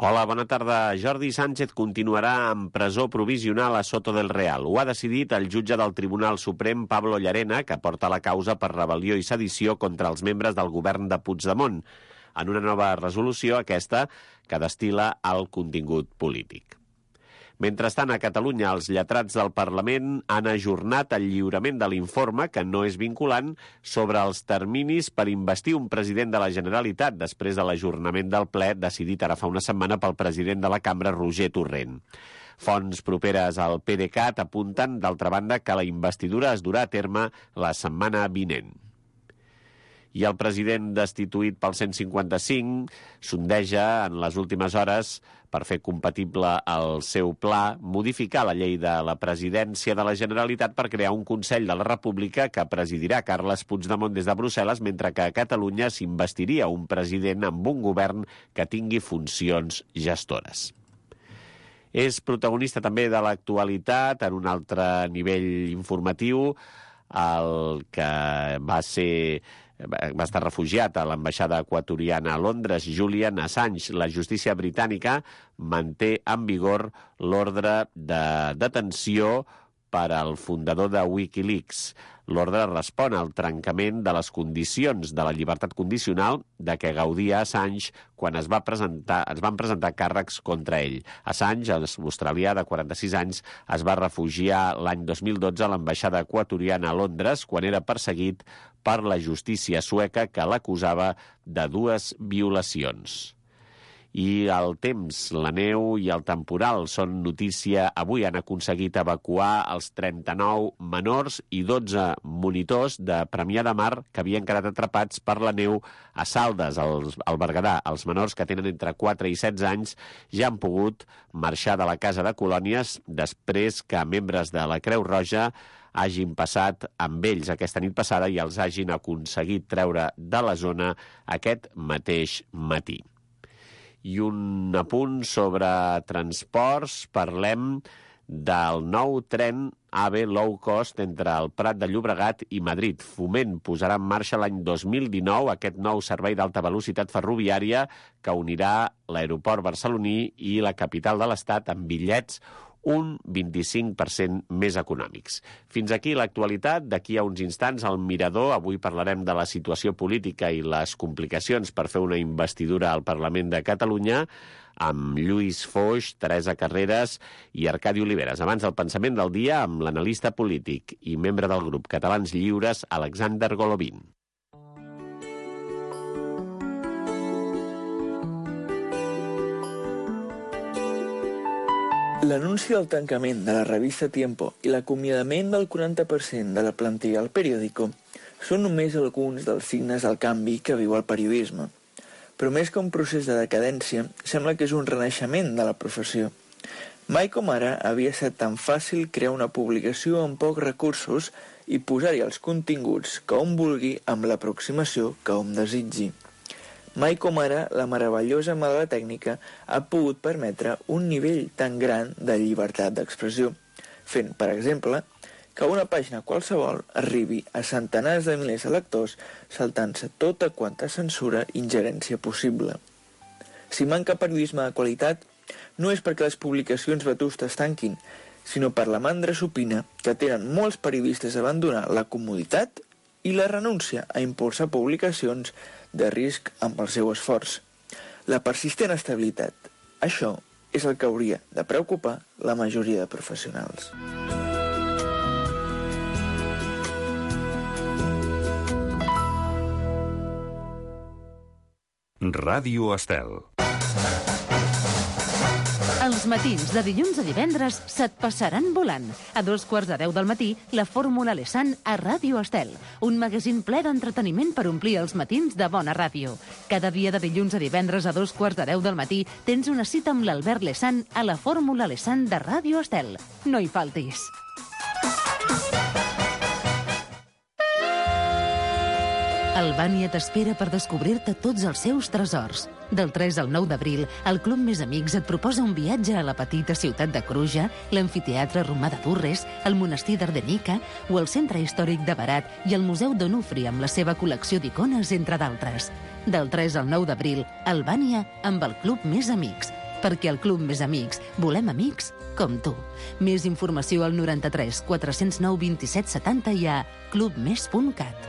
Hola, bona tarda. Jordi Sánchez continuarà en presó provisional a Soto del Real. Ho ha decidit el jutge del Tribunal Suprem, Pablo Llarena, que porta la causa per rebel·lió i sedició contra els membres del govern de Puigdemont, en una nova resolució, aquesta, que destil·la el contingut polític. Mentrestant, a Catalunya, els lletrats del Parlament han ajornat el lliurament de l'informe, que no és vinculant, sobre els terminis per investir un president de la Generalitat després de l'ajornament del ple decidit ara fa una setmana pel president de la cambra, Roger Torrent. Fonts properes al PDeCAT apunten, d'altra banda, que la investidura es durà a terme la setmana vinent. I el president destituït pel 155 sondeja en les últimes hores, per fer compatible el seu pla, modificar la llei de la presidència de la Generalitat per crear un Consell de la República que presidirà Carles Puigdemont des de Brussel·les, mentre que a Catalunya s'investiria un president amb un govern que tingui funcions gestores. És protagonista també de l'actualitat, en un altre nivell informatiu, el que va estar refugiat a l'ambaixada equatoriana a Londres, Julian Assange. La justícia britànica manté en vigor l'ordre de detenció per al fundador de Wikileaks. L'ordre respon al trencament de les condicions de la llibertat condicional de què gaudia Assange quan es van presentar càrrecs contra ell. Assange, australià de 46 anys, es va refugiar l'any 2012 a l'ambaixada equatoriana a Londres quan era perseguit per la justícia sueca, que l'acusava de 2 violacions. I el temps, la neu i el temporal són notícia. Avui han aconseguit evacuar els 39 menors i 12 monitors de Premià de Mar que havien quedat atrapats per la neu a Saldes, al Berguedà. Els menors, que tenen entre 4 i 16 anys, ja han pogut marxar de la casa de colònies després que membres de la Creu Roja hagin passat amb ells aquesta nit passada i els hagin aconseguit treure de la zona aquest mateix matí. I un apunt sobre transports, parlem del nou tren AVE low cost entre el Prat de Llobregat i Madrid. Foment posarà en marxa l'any 2019 aquest nou servei d'alta velocitat ferroviària que unirà l'aeroport barceloní i la capital de l'Estat amb bitllets un 25% més econòmics. Fins aquí l'actualitat. D'aquí a uns instants, al Mirador. Avui parlarem de la situació política i les complicacions per fer una investidura al Parlament de Catalunya amb Lluís Foix, Teresa Carreras i Arcadi Oliveres. Abans, el pensament del dia amb l'analista polític i membre del grup Catalans Lliures, Alexander Golovin. L'anunci del tancament de la revista Tiempo i l'acomiadament del 40% de la plantilla al periòdico són només alguns dels signes del canvi que viu el periodisme. Però més que un procés de decadència, sembla que és un renaixement de la professió. Mai com ara havia estat tan fàcil crear una publicació amb pocs recursos i posar-hi els continguts que hom vulgui amb l'aproximació que hom desitgi. Mai com ara la meravellosa mà de la tècnica ha pogut permetre un nivell tan gran de llibertat d'expressió, fent, per exemple, que una pàgina qualsevol arribi a centenars de milers de lectors saltant-se tota quanta censura i ingerència possible. Si manca periodisme de qualitat, no és perquè les publicacions vetustes tanquin, sinó per la mandra supina que tenen molts periodistes a abandonar la comoditat i la renúncia a impulsar publicacions de risc amb el seu esforç. La persistent estabilitat. Això és el que hauria de preocupar la majoria de professionals. Ràdio Estel. Els matins de dilluns a divendres se't passaran volant. A 2:45 del matí, la Fórmula Lesan a Ràdio Estel. Un magazín ple d'entreteniment per omplir els matins de bona ràdio. Cada dia de dilluns a divendres a 2:45 del matí tens una cita amb l'Albert Lesan a la Fórmula Lesan de Ràdio Estel. No hi faltis. Albània t'espera per descobrir-te tots els seus tresors. Del 3 al 9 d'abril, el Club Més Amics et proposa un viatge a la petita ciutat de Cruja, l'amfiteatre romà de Durres, el monestir d'Ardenica o el centre històric de Berat i el Museu d'Onufri amb la seva col·lecció d'icones, entre d'altres. Del 3 al 9 d'abril, Albània amb el Club Més Amics. perquè al Club Més Amics volem amics com tu. Més informació al 93 409 27 70 i a clubmes.cat.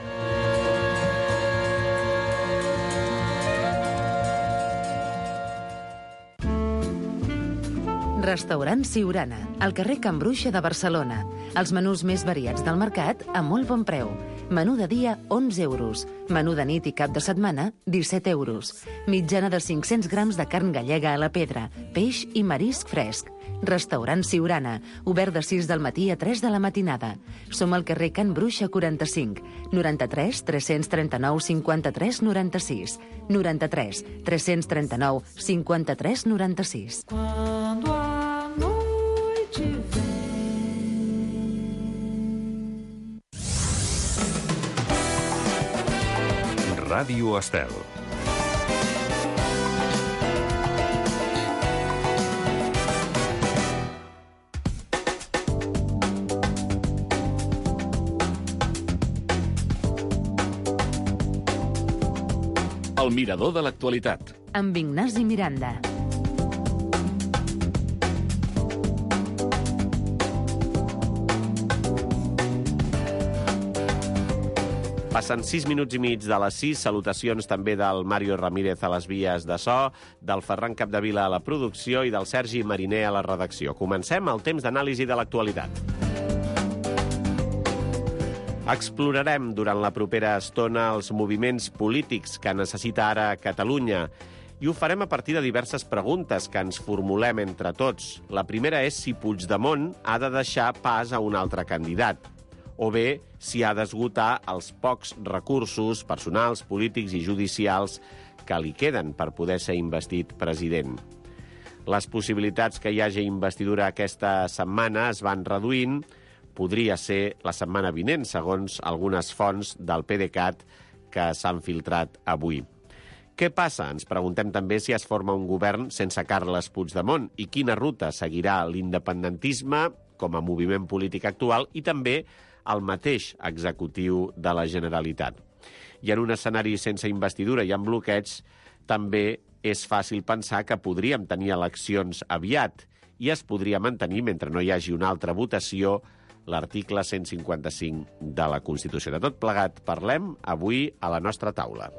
Restaurant Siurana, al carrer Can Bruixa de Barcelona. Els menús més variats del mercat a molt bon preu. Menú de dia, 11 euros. Menú de nit i cap de setmana, 17 euros. Mitjana de 500 grams de carn gallega a la pedra, peix i marisc fresc. Restaurant Siurana, obert de 6 del matí a 3 de la matinada. Som al carrer Can Bruixa 45, 93 339 53 96, 93 339 53 96. Ràdio Estel. El mirador de l'actualitat. Amb Ignasi Miranda. Passen 6 minuts i mig de les 6. Salutacions també del Mario Ramírez a les vies de so, del Ferran Capdevila a la producció i del Sergi Mariner a la redacció. Comencem el temps d'anàlisi de l'actualitat. Explorarem durant la propera estona els moviments polítics que necessita ara Catalunya i ho farem a partir de diverses preguntes que ens formulem entre tots. La primera és si Puigdemont ha de deixar pas a un altre candidat, o bé si ha d'esgotar els pocs recursos personals, polítics i judicials que li queden per poder ser investit president. Les possibilitats que hi hagi investidura aquesta setmana es van reduint. Podria ser la setmana vinent, segons algunes fonts del PDeCAT que s'han filtrat avui. Què passa? Ens preguntem també si es forma un govern sense Carles Puigdemont i quina ruta seguirà l'independentisme com a moviment polític actual i també el mateix executiu de la Generalitat. I en un escenari sense investidura i amb bloqueig, també és fàcil pensar que podríem tenir eleccions aviat i es podria mantenir, mentre no hi hagi una altra votació, l'article 155 de la Constitució. De tot plegat parlem avui a la nostra taula.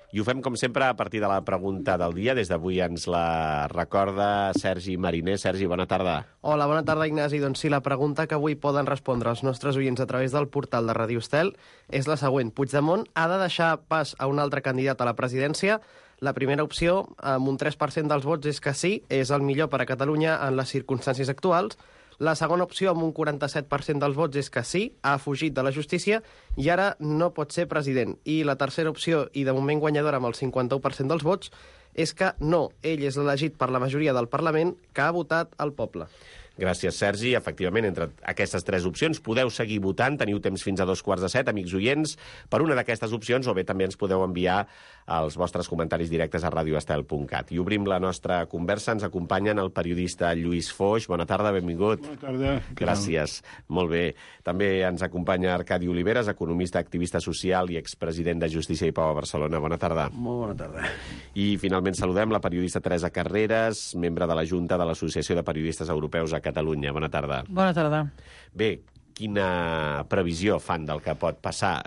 I ho fem, com sempre, a partir de la pregunta del dia. Des d'avui ens la recorda Sergi Mariner. Sergi, bona tarda. Hola, bona tarda, Ignasi. Doncs sí, la pregunta que avui poden respondre els nostres oients a través del portal de Ràdio Estel és la següent. Puigdemont ha de deixar pas a un altre candidat a la presidència? La primera opció, amb un 3% dels vots, és que sí, és el millor per a Catalunya en les circumstàncies actuals. La segona opció, amb un 47% dels vots, és que sí, ha fugit de la justícia i ara no pot ser president. I la tercera opció, i de moment guanyadora amb el 51% dels vots, és que no, ell és elegit per la majoria del Parlament que ha votat el poble. Gràcies, Sergi. Efectivament, entre aquestes tres opcions podeu seguir votant. Teniu temps fins a 2:45, amics oients, per una d'aquestes opcions, o bé també ens podeu enviar els vostres comentaris directes a radioestel.cat. I obrim la nostra conversa. Ens acompanyen el periodista Lluís Foix. Bona tarda, benvingut. Bona tarda. Gràcies. Molt bé. També ens acompanya Arcadi Oliveres, economista, activista social i expresident de Justícia i Pau a Barcelona. Bona tarda. Molt bona tarda. I finalment saludem la periodista Teresa Carreras, membre de la Junta de l'Associació de Periodistes Europeus a Catalunya. Bona tarda. Bona tarda. Bé, quina previsió fan del que pot passar?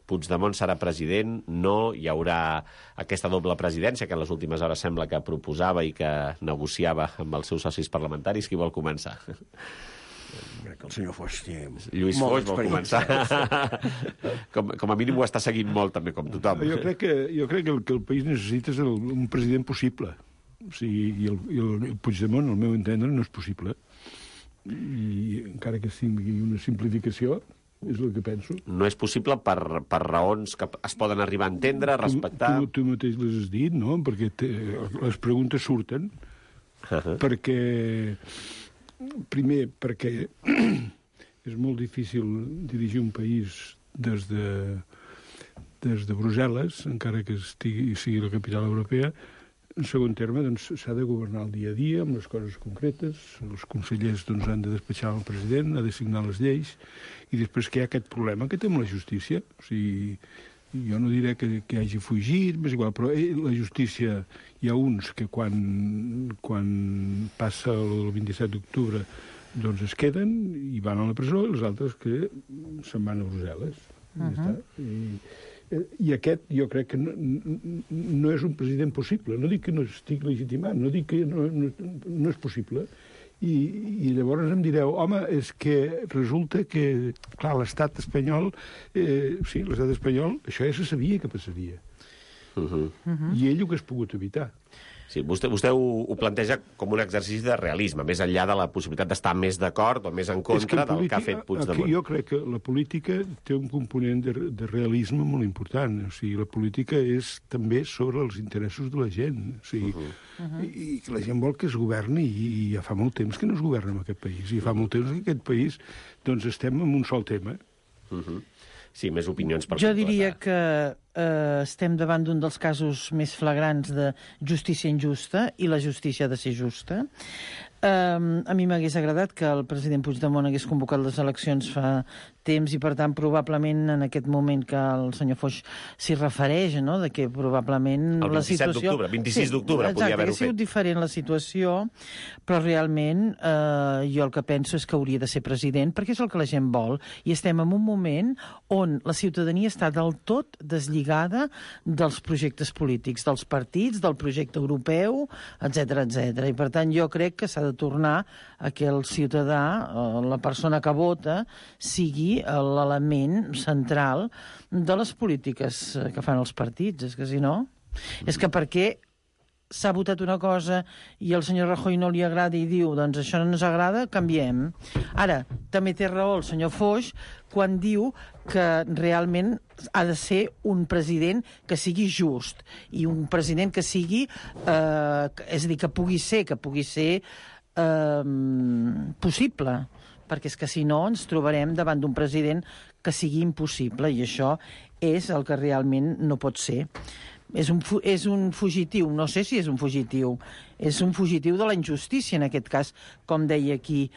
Puigdemont serà president? No? Hi haurà aquesta doble presidència que en les últimes hores sembla que proposava i que negociava amb els seus socis parlamentaris? Qui vol començar? Crec que el senyor Foix té Lluís Foix vol començar. com a mínim ho està seguint molt, també, com tothom. Jo crec que el que el país necessita és un president possible. O sigui, i el Puigdemont, al meu entendre, no és possible. I encara que sigui una simplificació, és el que penso. No és possible per raons que es poden arribar a entendre, a respectar... Tu mateix les has dit, no? Perquè les preguntes surten. Perquè... Primer, perquè és molt difícil dirigir un país des de Brussel·les, encara que sigui la capital europea. En segon terme, doncs, s'ha de governar el dia a dia amb les coses concretes. Els consellers han de despatxar el president, ha de signar les lleis, i després que hi ha aquest problema que té amb la justícia. O sigui, jo no diré que hagi fugit, és igual, però la justícia, hi ha uns que quan passa el 27 d'octubre doncs es queden i van a la presó, i els altres que se'n van a Brussel·les. Ja està. I aquest jo crec que no és un president possible. No dic que no estic legitimat, no dic que no és possible. I llavors em direu, home, és que resulta que, clar, l'estat espanyol, sí, l'estat espanyol, això ja se sabia que passaria. I ell ho que has pogut evitar. Sí, vostè ho planteja com un exercici de realisme, més enllà de la possibilitat d'estar més d'acord o més en contra del que ha fet Puigdemont. Jo crec que la política té un component de realisme molt important. O sigui, la política és també sobre els interessos de la gent. O sigui, i la gent vol que es governi i ja fa molt temps que no es governa en aquest país. I fa molt temps que en aquest país doncs, estem en un sol tema. Sí, més opinions per Jo diria que estem davant d'un dels casos més flagrants de justícia injusta i la justícia ha de ser justa. A mi m'hagués agradat que el president Puigdemont hagués convocat les eleccions fa temps i, per tant, probablement en aquest moment que el senyor Foix s'hi refereix, no?, de que probablement el 27 la situació... d'octubre, 26 d'octubre podia haver-ho fet. Ha sigut diferent la situació, però realment jo el que penso és que hauria de ser president, perquè és el que la gent vol, i estem en un moment on la ciutadania està del tot deslligada dels projectes polítics, dels partits, del projecte europeu, etc etc. I, per tant, jo crec que s'ha de tornar a que el ciutadà, la persona que vota, sigui l'element central de les polítiques que fan els partits. És que si no... És que perquè s'ha votat una cosa i al senyor Rajoy no li agrada i diu, doncs això no ens agrada, canviem. Ara, també té raó el senyor Foix quan diu que realment ha de ser un president que sigui just i un president que sigui, és a dir, que pugui ser possible, perquè és que si no ens trobarem davant d'un president que sigui impossible, i això és el que realment no pot ser. És un fugitiu, no sé si és un fugitiu de la injustícia, en aquest cas, com deia aquí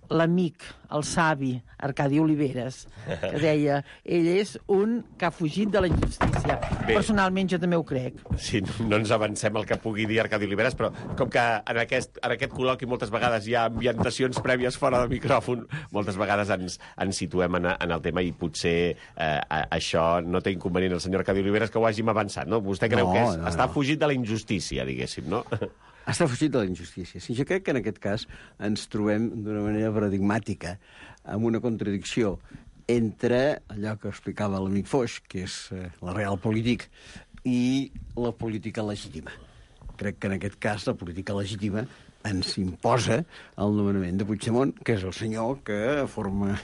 l'amic, el savi, Arcadi Oliveres, que deia, ell és un que ha fugit de la injustícia. Bé, personalment jo també ho crec. Sí, no ens avancem el que pugui dir Arcadi Oliveres, però com que en aquest col·loqui moltes vegades hi ha ambientacions prèvies fora del micròfon, moltes vegades ens situem en el tema i potser això no té inconvenient el senyor Arcadi Oliveres que ho hàgim avançat, no? Vostè creu que està fugit de la injustícia, diguéssim, no? Està fugit de la injustícia. Sí, jo crec que en aquest cas ens trobem d'una manera paradigmàtica amb una contradicció entre allò que explicava l'amic Foix, que és la real polític, i la política legítima. Crec que en aquest cas la política legítima ens imposa el nomenament de Puigdemont, que és el senyor que forma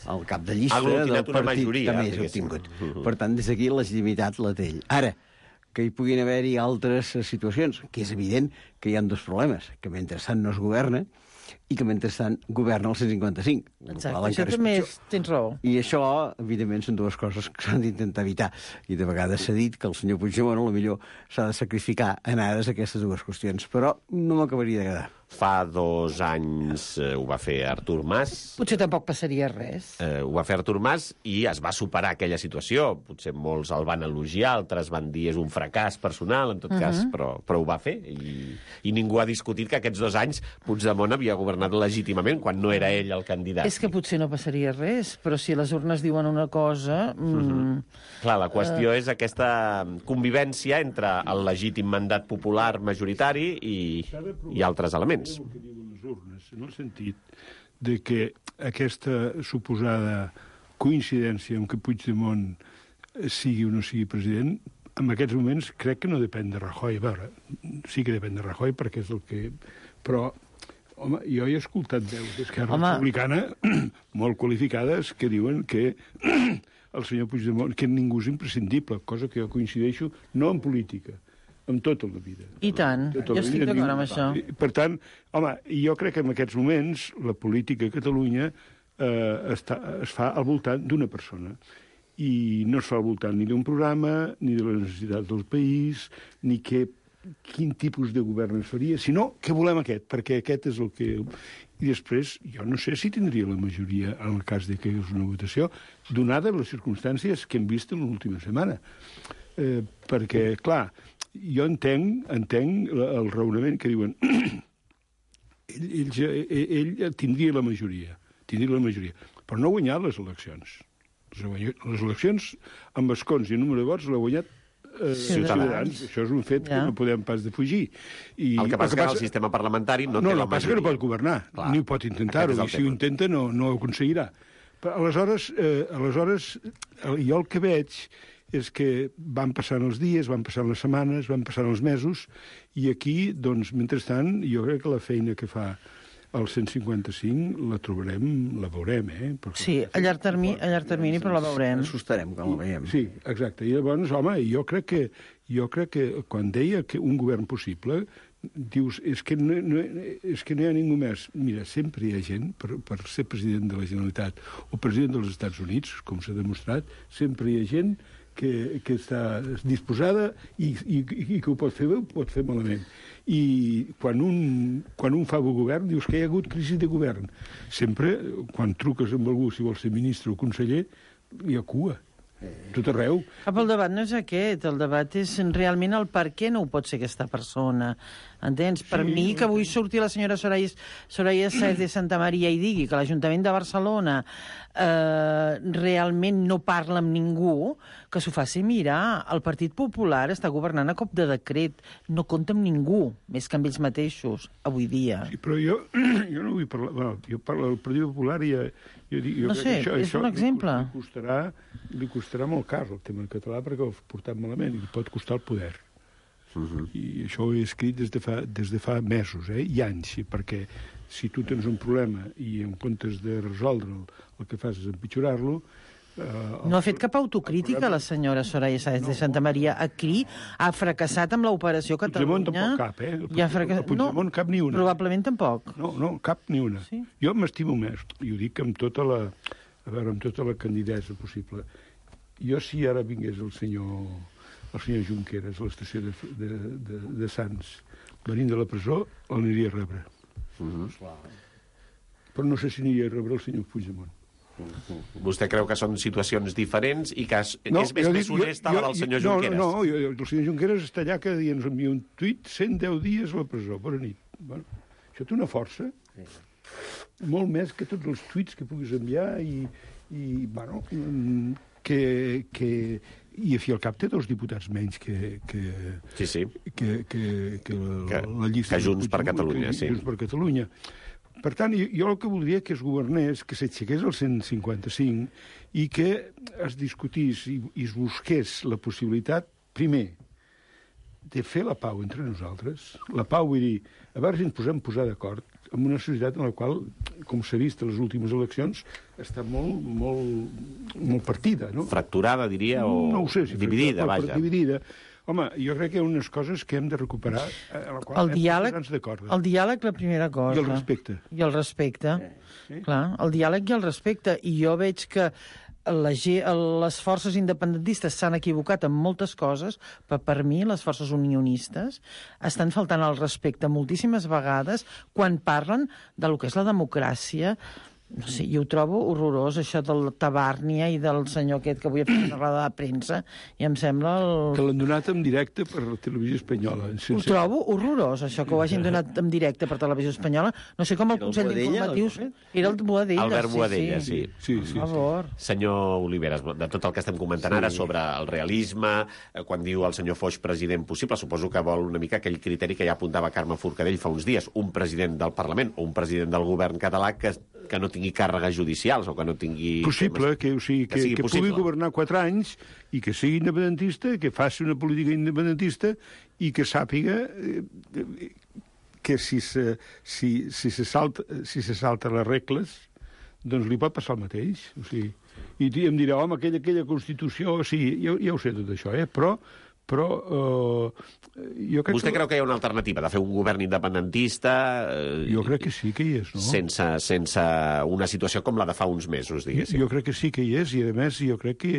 el cap de llista del partit que més ha obtingut. Per tant, des d'aquí la legitimitat la té ell. Ara, que hi puguin haver-hi altres situacions, que és evident que hi ha dos problemes, que mentrestant no es governa i que mentrestant governa el 155. Exacte, això també tens raó. I això, evidentment, són dues coses que s'han d'intentar evitar. I de vegades s'ha dit que el senyor Puigdemont potser s'ha de sacrificar en ares aquestes dues qüestions, però no m'acabaria d'agradar. Fa 2 anys ho va fer Artur Mas. Potser tampoc passaria res. Ho va fer Artur Mas i es va superar aquella situació. Potser molts el van elogiar, altres van dir és un fracàs personal, en tot cas, però ho va fer. I ningú ha discutit que aquests 2 anys Puigdemont havia governat legítimament quan no era ell el candidat. És que potser no passaria res, però si les urnes diuen una cosa... Clar, la qüestió és aquesta convivència entre el legítim mandat popular majoritari i altres elements. El que diuen les urnes, en el sentit de que aquesta suposada coincidència en què Puigdemont sigui o no sigui president, en aquests moments crec que no depèn de Rajoy. A veure, sí que depèn de Rajoy perquè és el que... Però, home, jo he escoltat veus d'Esquerra Republicana molt qualificades que diuen que el senyor Puigdemont, que ningú és imprescindible, cosa que jo coincideixo, no en política, amb tota la vida. I tant, jo estic d'acord amb això. Per tant, home, jo crec que en aquests moments la política a Catalunya es fa al voltant d'una persona. I no es fa al voltant ni d'un programa, ni de les necessitats del país, ni quin tipus de govern es faria, sinó que volem aquest, perquè aquest és el que... i després jo no sé si tindria la majoria en el cas de que hi hagués una votació, donada les circumstàncies que hem vist en l'última setmana. Perquè, clar, jo entenc el raonament que diuen ell tindria la majoria, però no ha guanyat les eleccions. Les eleccions amb escons i número de vots l'ha guanyat Ciutadans. Això és un fet que no podem pas defugir. El que passa que el sistema parlamentari no té la majoria. No, passa que no pot governar, ni ho pot intentar-ho, i si ho intenta no ho aconseguirà. Però aleshores, jo el que veig és que van passant els dies, van passant les setmanes, van passant els mesos, i aquí, doncs, mentrestant, jo crec que la feina que fa el 155 la trobarem, la veurem, Perquè sí, a llarg termini, però la veurem. Assustarem quan la veiem. Sí, exacte. I llavors, home, jo crec que quan deia que un govern possible, dius, és que no hi ha ningú més. Mira, sempre hi ha gent, per ser president de la Generalitat o president dels Estats Units, com s'ha demostrat, sempre hi ha gent que està disposada i que ho pot fer malament. I quan un fa govern, dius que hi ha hagut crisi de govern. Sempre, quan truques amb algú, si vol ser ministre o conseller, hi ha cua. Tot arreu. El debat no és aquest, el debat és realment el per què no ho pot ser aquesta persona. Entens? Per mi, que avui surti la senyora Soraya Sáenz de Santamaría i digui que l'Ajuntament de Barcelona realment no parla amb ningú, que s'ho faci mirar. El Partit Popular està governant a cop de decret, no compta amb ningú, més que amb ells mateixos, avui dia. Sí, però jo no vull parlar... Bueno, jo parlo del Partit Popular i no sé, és un exemple. Li costarà molt car el tema català perquè ho ha portat malament i li pot costar el poder. I això ho he escrit des de fa mesos i anys, perquè si tu tens un problema i en comptes de resoldre'l el que fas és empitjorar-lo... No ha fet cap autocrítica la senyora Soraya Sáenz de Santamaría. Aquí ha fracassat amb l'operació Catalunya. Puigdemont tampoc cap, Puigdemont cap ni una. Probablement tampoc. No, cap ni una. Sí? Jo m'estimo més, i ho dic amb tota la candidesa possible. Jo, si ara vingués el senyor Junqueras a l'estació de Sants, venint de la presó, l'aniria a rebre. Però no sé si aniria a rebre el senyor Puigdemont. Vostè creu que són situacions diferents i que és més honesta la del senyor Junqueras? No, el senyor Junqueras està allà cada dia, ens envia un tuit, 110 dies a la presó, bona nit. Bueno, això té una força, molt més que tots els tuits que puguis enviar i bueno, i a fi al cap té 2 diputats menys que la llista que Junts per Catalunya, sí. Junts per Catalunya. Per tant, jo el que voldria que es governés, que s'aixequés el 155 i que es discutís i es busqués la possibilitat, primer, de fer la pau entre nosaltres. La pau, vull dir, a veure si ens podem posar d'acord en una societat en la qual, com s'ha vist a les últimes eleccions, està molt partida, no? Fracturada, diria, o no ho sé, si dividida, vaja. Dividida. Home, jo crec que hi ha unes coses que hem de recuperar, a la qual hem de posar-nos d'acord. El diàleg, la primera cosa. I el respecte. I el respecte. Clar, el diàleg i el respecte. I jo veig que les forces independentistes s'han equivocat en moltes coses, però per mi les forces unionistes estan faltant al respecte moltíssimes vegades quan parlen del que és la democràcia. No sé, jo ho trobo horrorós, això del Tabàrnia i del senyor aquest que avui ha fet una roda de premsa, i em sembla... Que l'han donat en directe per la televisió espanyola. Ho trobo horrorós, això, que ho hagin donat en directe per televisió espanyola. No sé com el Consell d'Informatius... Era el Boadella. Albert Boadella, sí. Per favor. Senyor Oliveras, de tot el que estem comentant ara sobre el realisme, quan diu el senyor Foix president possible, suposo que vol una mica aquell criteri que ja apuntava Carme Forcadell fa uns dies, un president del Parlament o un president del govern català que no tingui càrregues judicials o que no tingui... Possible, que pugui governar 4 anys i que sigui independentista, que faci una política independentista i que sàpiga que si se salta les regles, doncs li pot passar el mateix. O sigui, i em dirà, home, aquella Constitució... Sí, ja ho sé tot això, però Però jo crec Vostè creu que hi ha una alternativa de fer un govern independentista? Jo crec que sí que hi és, no? Sense una situació com la de fa uns mesos, diguéssim. Jo crec que sí que hi és, i a més jo crec que...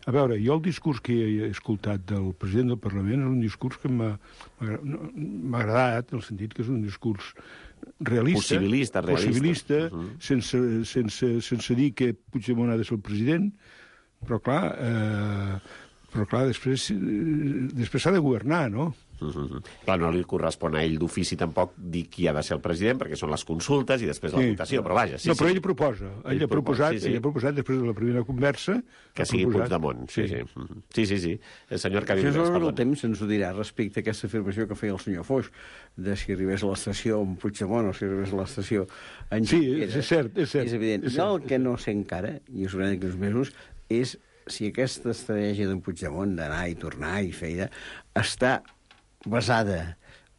A veure, jo el discurs que he escoltat del president del Parlament és un discurs que m'ha agradat, en el sentit que és un discurs realista, possibilista, sense dir que Puigdemont ha de ser el president, però clar, després s'ha de governar, no? Clar, no li correspon a ell d'ofici tampoc dir qui ha de ser el president, perquè són les consultes i després la votació, però vaja... Però ell proposa. Ell ha proposat després de la primera conversa... Que sigui Puigdemont, sí. El senyor Cavill... Això el temps ens ho dirà respecte a aquesta afirmació que feia el senyor Foix, de si arribés a l'estació amb Puigdemont o si arribés a l'estació en Junqueras. Sí, és cert. És evident. El que no sé encara, i us ho diré d'aquí uns mesos, és si aquesta estratègia d'en Puigdemont d'anar i tornar i feina està basada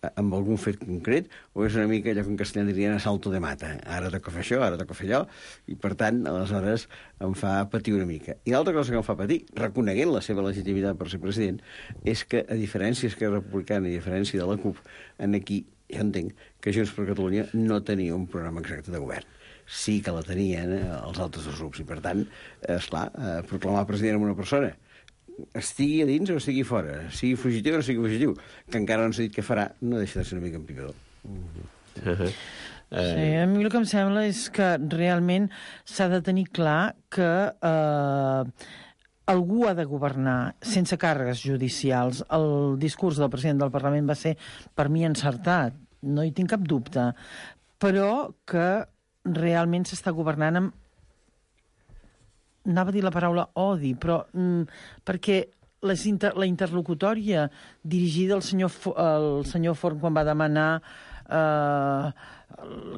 en algun fet concret, o és una mica allò que en castellà dirien a salto de mata. Ara toca fer això, ara toca fer allò, i per tant, aleshores, em fa patir una mica. I l'altra cosa que em fa patir, reconeguent la seva legitimitat per ser president, és que, a diferència d'Esquerra Republicana i a diferència de la CUP, aquí jo entenc que Junts per Catalunya no tenia un programa exacte de govern. Sí que la tenien els altres dos grups, i per tant, esclar, proclamar president amb una persona estigui a dins o estigui fora, sigui fugitiu o no sigui fugitiu, que encara no s'ha dit què farà, no deixa de ser una mica empipedor. Sí, a mi el que em sembla és que realment s'ha de tenir clar que algú ha de governar sense càrregues judicials. El discurs del president del Parlament va ser, per mi, encertat, no hi tinc cap dubte, però que realment s'està governant amb... Anava a dir la paraula odi, però perquè la interlocutòria dirigida al senyor Forn quan va demanar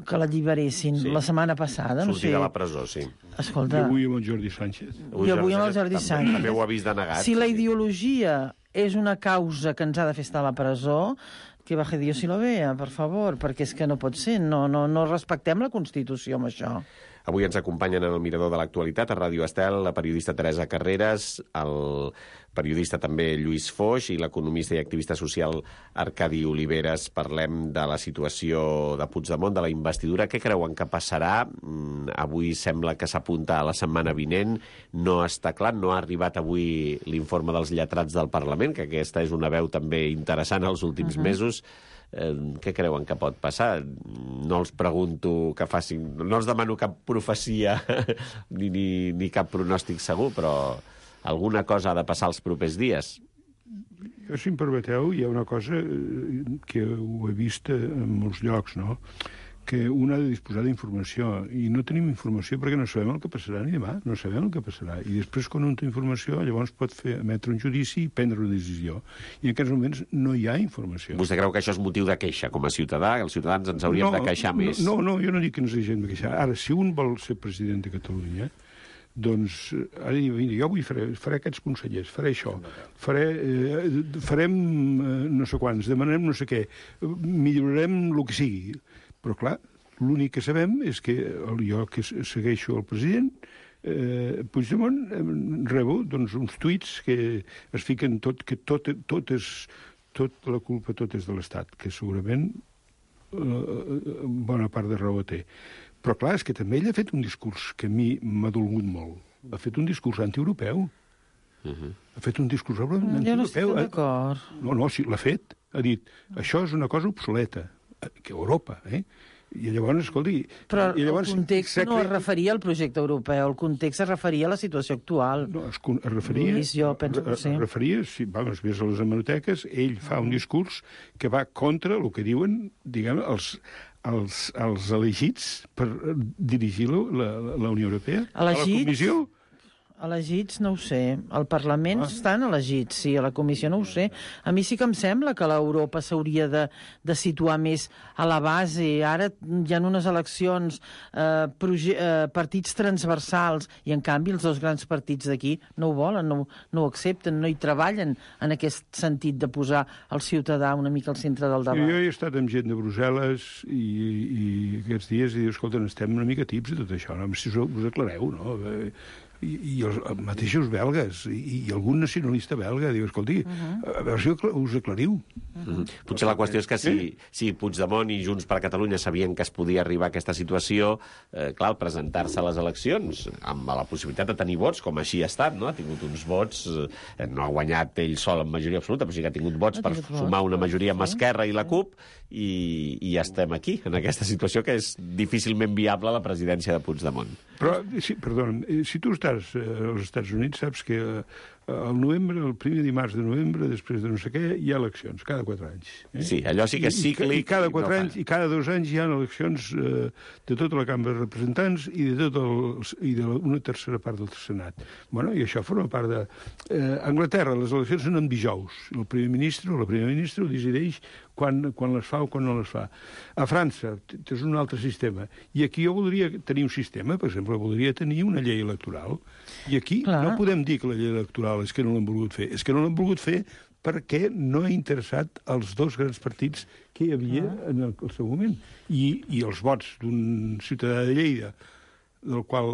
que l'alliberessin la setmana passada. Sortir de la presó, sí. Escolta... Jo avui amb el Jordi Sánchez. Jo avui amb el Jordi Sánchez. També ho ha vist denegat. Si la ideologia és una causa que ens ha de fer estar a la presó, que baje Dios y lo vea, per favor, perquè és que no pot ser, no respectem la Constitució amb això. Avui ens acompanyen en el Mirador de l'Actualitat a Ràdio Estel la periodista Teresa Carreras, el periodista també Lluís Foix i l'economista i activista social Arcadi Oliveres. Parlem de la situació de Puigdemont, de la investidura. Què creuen que passarà? Avui sembla que s'apunta a la setmana vinent. No està clar, no ha arribat avui l'informe dels lletrats del Parlament, que aquesta és una veu també interessant als últims mesos. Què creuen que pot passar? No els pregunto que facin... No els demano cap profecia ni cap pronòstic segur, però alguna cosa ha de passar els propers dies. Jo, si em permeteu, hi ha una cosa que ho he vist en molts llocs, no? Que un ha de disposar d'informació, i no tenim informació perquè no sabem el que passarà ni demà, no sabem el que passarà. I després, quan un té informació, llavors pot emetre un judici i prendre una decisió. I en aquests moments no hi ha informació. Vostè creu que això és motiu de queixa com a ciutadà? Els ciutadans ens hauríem de queixar més? No, jo no dic que ens hagin de queixar. Ara, si un vol ser president de Catalunya, doncs, ara jo faré aquests consellers, faré això, farem no sé quants, demanarem no sé què, millorarem el que sigui. Però, clar, l'únic que sabem és que jo que segueixo el president, Puigdemont, rebo doncs, uns tuits que es fiquen que tot la culpa tot és de l'Estat, que segurament bona part de raó té. Però, clar, és que també ell ha fet un discurs que a mi m'ha dolgut molt. Ha fet un discurs antieuropeu. Ha fet un discurs antieuropeu. Jo no estic d'acord. No, sí, l'ha fet. Ha dit, això és una cosa obsoleta. Que Europa, I llavors, escolti... Però el context no es referia al projecte europeu, el context es referia a la situació actual. No, es referia... Lluís, jo penso que sí. Es referia, si vés a les hemeroteques, ell fa un discurs que va contra el que diuen, diguem, els elegits per dirigir la Unió Europea. A la Comissió... Elegits, no ho sé. Al Parlament estan elegits, sí, a la Comissió no ho sé. A mi sí que em sembla que l'Europa s'hauria de situar més a la base. Ara hi ha unes eleccions, partits transversals, i en canvi els dos grans partits d'aquí no ho volen, no ho accepten, no hi treballen en aquest sentit de posar el ciutadà una mica al centre del debat. Jo he estat amb gent de Brussel·les i aquests dies i diu, escolta, estem una mica tips de tot això, no? Si us aclareu, no? i els mateixos belgues, i algun nacionalista belga, diu, escolti, a veure si us aclariu. Potser la qüestió és que si Puigdemont i Junts per Catalunya sabien que es podia arribar a aquesta situació, clar, presentar-se a les eleccions amb la possibilitat de tenir vots, com així ha estat, no? Ha tingut uns vots, no ha guanyat ell sol en majoria absoluta, però sí que ha tingut vots per sumar una majoria amb Esquerra i la CUP, i ja estem aquí, en aquesta situació que és difícilment viable la presidència de Puigdemont. Però, perdona, si tu estàs als Estats Units, saps que al novembre, el primer dimarts de novembre, després de no sé què, hi ha eleccions, cada 4 anys. Sí, allò sí que és cíclic. I cada 4 anys, i cada 2 anys hi ha eleccions de tota la Cambra de Representants i d'una tercera part del Senat. Bueno, i això forma part de... A Anglaterra, les eleccions són en dijous. El primer ministre o la primera ministra ho decideix quan les fa o quan no les fa. A França és un altre sistema. I aquí jo voldria tenir un sistema, per exemple, voldria tenir una llei electoral. I aquí no podem dir que la llei electoral és que no l'han volgut fer. És que no l'han volgut fer perquè no ha interessat els dos grans partits que hi havia en el seu moment. I els vots d'un ciutadà de Lleida, del qual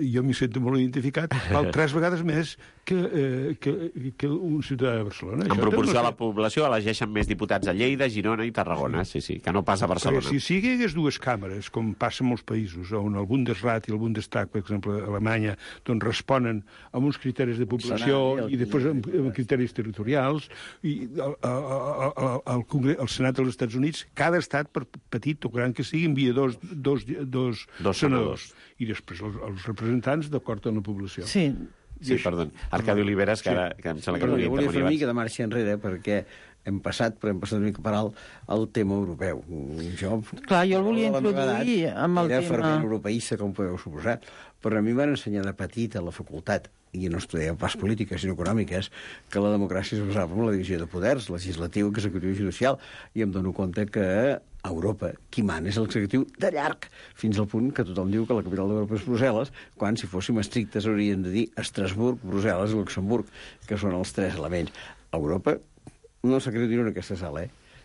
jo m'hi sento molt identificat, val 3 vegades més que un ciutadà de Barcelona. En proporció a la població elegeixen més diputats a Lleida, Girona i Tarragona, sí, que no passa a Barcelona. Perquè si hi hagués 2 càmeres, com passa en molts països, on el Bundesrat i el Bundestag, per exemple, a Alemanya, doncs responen amb uns criteris de població i després amb criteris territorials, i el Senat dels Estats Units, cada estat, per petit o gran que sigui, envia dos senadors, i després els representants d'acord amb la població. Sí, perdó. Arcadi Oliveres, que ara em sembla que no jo volia fer una mica de marxa enrere, perquè hem passat una mica per alt el tema europeu. Clar, jo el volia introduir amb el tema... Era fervent europeista, com podeu suposar, però a mi m'han ensenyat de petit a la facultat, i no estudiava pas polítiques, sinó econòmiques, que la democràcia es basava en la divisió de poders, legislatiu, executiu i judicial, i em dono compte que a Europa qui mana és l'executiu de llarg, fins al punt que tothom diu que la capital d'Europa és Brussel·les, quan, si fóssim estrictes, hauríem de dir Estrasburg, Brussel·les i Luxemburg, que són els 3 elements. Europa no s'acredito en aquesta sala,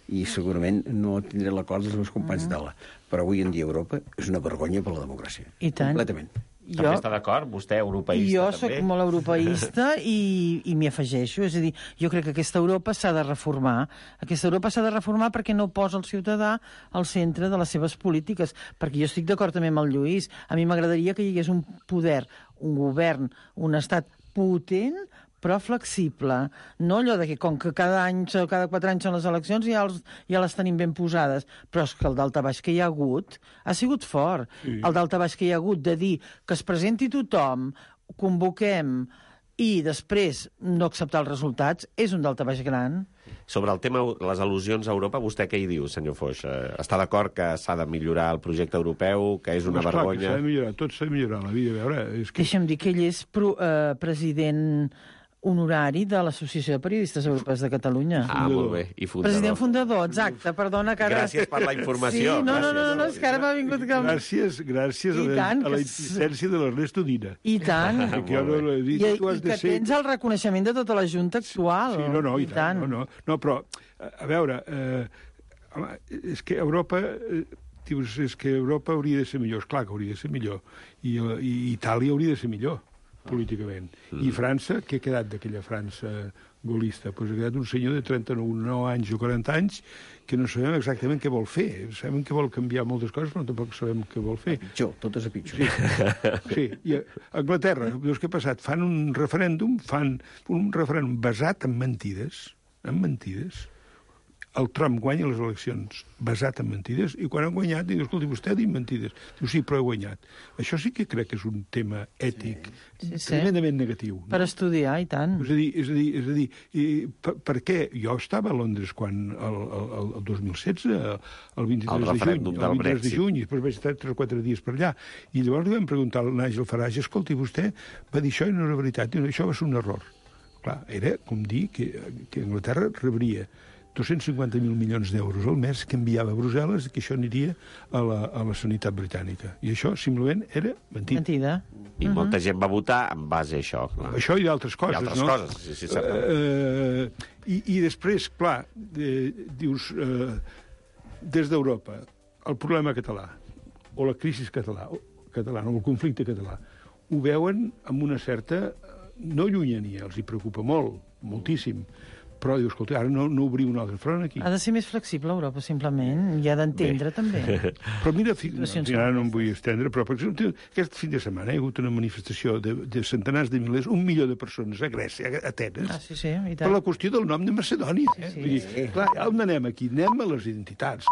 i segurament no tindré l'acord dels meus companys de taula, però avui en dia Europa és una vergonya per la democràcia. I tant. Completament. També està d'acord? Vostè, europeista, jo també? Jo soc molt europeista i m'hi afegeixo. És a dir, jo crec que aquesta Europa s'ha de reformar. Aquesta Europa s'ha de reformar perquè no posa el ciutadà al centre de les seves polítiques. Perquè jo estic d'acord també amb el Lluís. A mi m'agradaria que hi hagués un poder, un govern, un estat potent, però flexible. No allò de que, com que cada 4 anys són les eleccions, ja les tenim ben posades. Però és que el daltabaix que hi ha hagut ha sigut fort. Sí. El daltabaix que hi ha hagut de dir que es presenti tothom, convoquem i després no acceptar els resultats, és un daltabaix gran. Sobre el tema, les al·lusions a Europa, vostè què hi diu, senyor Foix? Està d'acord que s'ha de millorar el projecte europeu, que és una vergonya? Clar, que s'ha de millorar, tot s'ha de millorar la vida. A veure, és que... Deixa'm dir que ell és president honorari de l'Associació de Periodistes Europeus de Catalunya. Ah, molt bé. I fundador. President fundador, exacte. Perdona que ara... Gràcies per la informació. Sí, no, és que ara m'ha vingut... Gràcies a la insistència de l'Ernesto Dina. I tant. I que tens el reconeixement de tota la Junta actual. Sí, no, i tant. No, però, a veure, és que Europa... Dius, és que Europa hauria de ser millor. Esclar que hauria de ser millor. I Itàlia hauria de ser millor, políticament. I França, què ha quedat d'aquella França gaullista? Doncs ha quedat un senyor de 39 anys o 40 anys que no sabem exactament què vol fer. Sabem que vol canviar moltes coses, però tampoc sabem què vol fer. Pitjor, tot és a pitjor. Sí. I a Anglaterra, veus què ha passat? Fan un referèndum basat en mentides. El Trump guanya les eleccions basat en mentides, i quan han guanyat, diu, escolti, vostè ha dit mentides. Diu, sí, però he guanyat. Això sí que crec que és un tema ètic tremendament negatiu. No? Per estudiar, i tant. És a dir, per què? Jo estava a Londres quan el 2016, el 23 de juny, i després vaig estar 3 o 4 dies per allà, i llavors li vam preguntar al Nigel Farage, escolti, vostè va dir això i no era veritat. Diu, això va ser un error. Clar, era com dir que Anglaterra rebria 250.000 milions d'euros al mes que enviava a Brussel·les i que això aniria a la sanitat britànica. I això, simplement, era mentida. I molta gent va votar en base a això. Clar. Això i d'altres coses, no? I altres coses, sí. I després, clar, dius, des d'Europa, el problema català, o la crisi catalana, o el conflicte català, ho veuen amb una certa... no llunyania, els hi preocupa molt, moltíssim. Però diu, escolta, ara no obrim un altre front aquí. Ha de ser més flexible, Europa, simplement. I ha d'entendre, també. Però mira, ara no em vull estendre, però per exemple, aquest fin de setmana hi ha hagut una manifestació de centenars de milers, 1 milió de persones a Grècia, a Atenes, sí, i tant. per la qüestió del nom de Macedònia. Vull dir, clar, on anem aquí? Anem a les identitats,